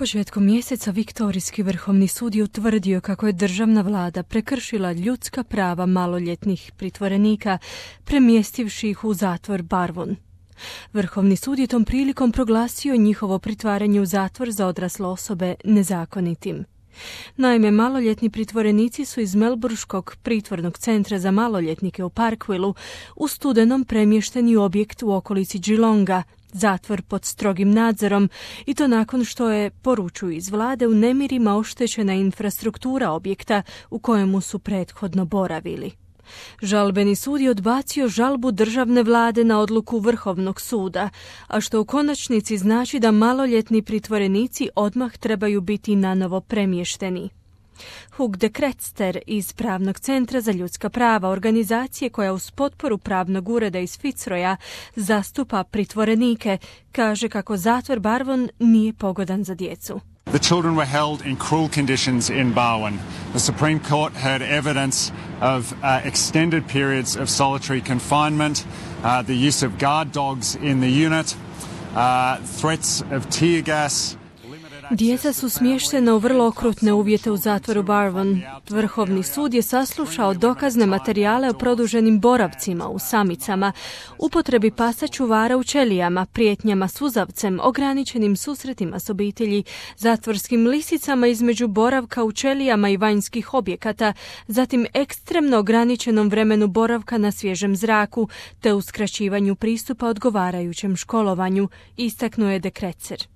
Početkom mjeseca Viktorijski vrhovni sud je utvrdio kako je državna vlada prekršila ljudska prava maloljetnih pritvorenika, premjestivši ih u zatvor Barwon. Vrhovni sud je tom prilikom proglasio njihovo pritvaranje u zatvor za odrasle osobe nezakonitim. Naime, maloljetni pritvorenici su iz Melbourškog pritvornog centra za maloljetnike u Parkvillu u studenom premješteni u objekt u okolici Geelonga, zatvor pod strogim nadzorom, i to nakon što je, poručuju iz vlade, u nemirima oštećena infrastruktura objekta u kojemu su prethodno boravili. Žalbeni sud je odbacio žalbu državne vlade na odluku Vrhovnog suda, a što u konačnici znači da maloljetni pritvorenici odmah trebaju biti nanovo premješteni. Hugh de Kretster iz Pravnog centra za ljudska prava, organizacije koja uz potporu pravnog ureda iz Fitzroya zastupa pritvorenike, kaže kako zatvor Barwon nije pogodan za djecu. The children were held in cruel conditions in Barwon. The Supreme Court heard evidence of extended periods of solitary confinement, the use of guard dogs in the unit, threats of tear gas. Djeca su smještena u vrlo okrutne uvjete u zatvoru Barwon. Vrhovni sud je saslušao dokazne materijale o produženim boravcima u samicama, upotrebi pasa čuvara u ćelijama, prijetnjama suzavcem, ograničenim susretima s obitelji, zatvorskim lisicama između boravka u ćelijama i vanjskih objekata, zatim ekstremno ograničenom vremenu boravka na svježem zraku, te uskraćivanju pristupa odgovarajućem školovanju, istaknuo je de Kretser.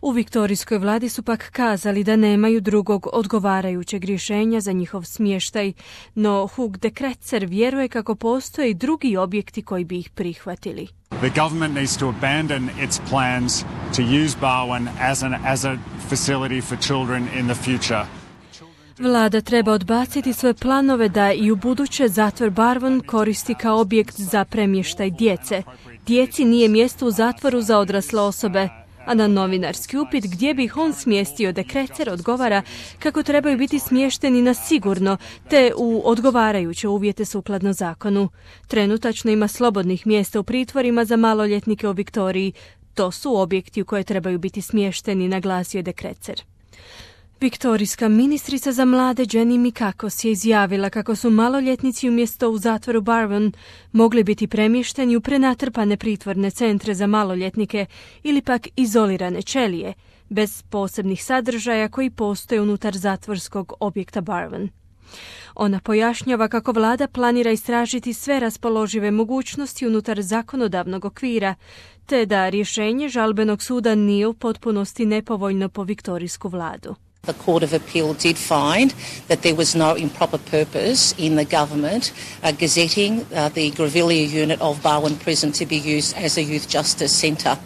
U viktorijskoj vladi su pak kazali da nemaju drugog odgovarajućeg rješenja za njihov smještaj, no Hugh de Kretser vjeruje kako postoje i drugi objekti koji bi ih prihvatili. The government needs to abandon its plans to use Barwon as a facility for children in the future. Vlada treba odbaciti svoje planove da i u buduće zatvor Barwon koristi kao objekt za premještaj djece. Djeci nije mjesto u zatvoru za odrasle osobe. A na novinarski upit gdje bi ih on smjestio, de Kretser odgovara kako trebaju biti smješteni na sigurno te u odgovarajuće uvjete sukladno zakonu. Trenutačno ima slobodnih mjesta u pritvorima za maloljetnike u Viktoriji. To su objekti u koje trebaju biti smješteni, naglasio je de Kretser. Viktorijska ministrica za mlade Jenny Mikakos je izjavila kako su maloljetnici umjesto u zatvoru Barwon mogli biti premješteni u prenatrpane pritvorne centre za maloljetnike ili pak izolirane ćelije, bez posebnih sadržaja koji postoje unutar zatvorskog objekta Barwon. Ona pojašnjava kako vlada planira istražiti sve raspoložive mogućnosti unutar zakonodavnog okvira, te da rješenje žalbenog suda nije u potpunosti nepovoljno po viktorijsku vladu. The Court of Appeal did find that there was no improper purpose in the government gazetting the Grevillea unit of Barwon Prison to be used as a youth justice centre.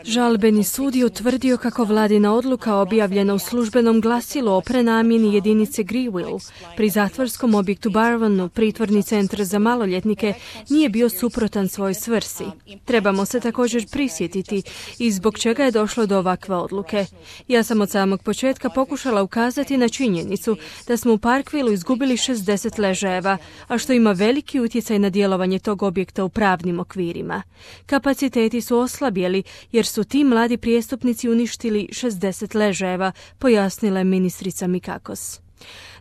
Žalbeni sud je utvrdio kako vladina odluka objavljena u službenom glasilu o prenamjeni jedinice Greville pri zatvorskom objektu Barwonu, pritvorni centar za maloljetnike, nije bio suprotan svojoj svrsi. Trebamo se također prisjetiti i zbog čega je došlo do ovakve odluke. Ja sam od samog početka pokušala ukazati na činjenicu da smo u Parkvillu izgubili 60 ležajeva, a što ima veliki utjecaj na djelovanje tog objekta u pravnim okvirima. Kapaciteti su oslabjeli jer su ti mladi prijestupnici uništili 60 ležajeva, pojasnila je ministrica Mikakos.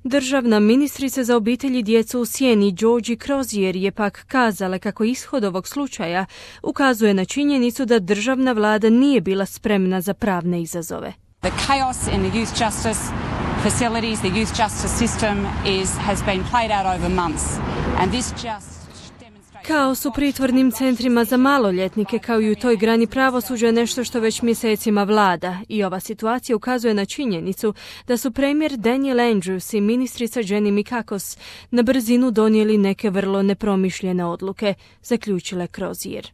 Državna ministrica za obitelj i djecu u sjeni Georgie Crozier je pak kazala kako ishod ovog slučaja ukazuje na činjenicu da državna vlada nije bila spremna za pravne izazove. The chaos in the youth justice facilities, the youth justice system has been played out over months, and this just Kaos u pritvornim centrima za maloljetnike kao i u toj grani pravosuđa je nešto što već mjesecima vlada i ova situacija ukazuje na činjenicu da su premijer Daniel Andrews i ministrica Jenny Mikakos na brzinu donijeli neke vrlo nepromišljene odluke, zaključila je Crozier.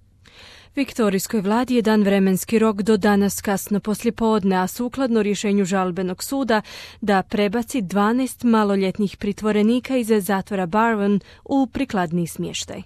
Viktorijskoj vladi je dan vremenski rok do danas kasno poslijepodne, a sukladno rješenju žalbenog suda da prebaci 12 maloljetnih pritvorenika iz zatvora Barwon u prikladniji smještaj.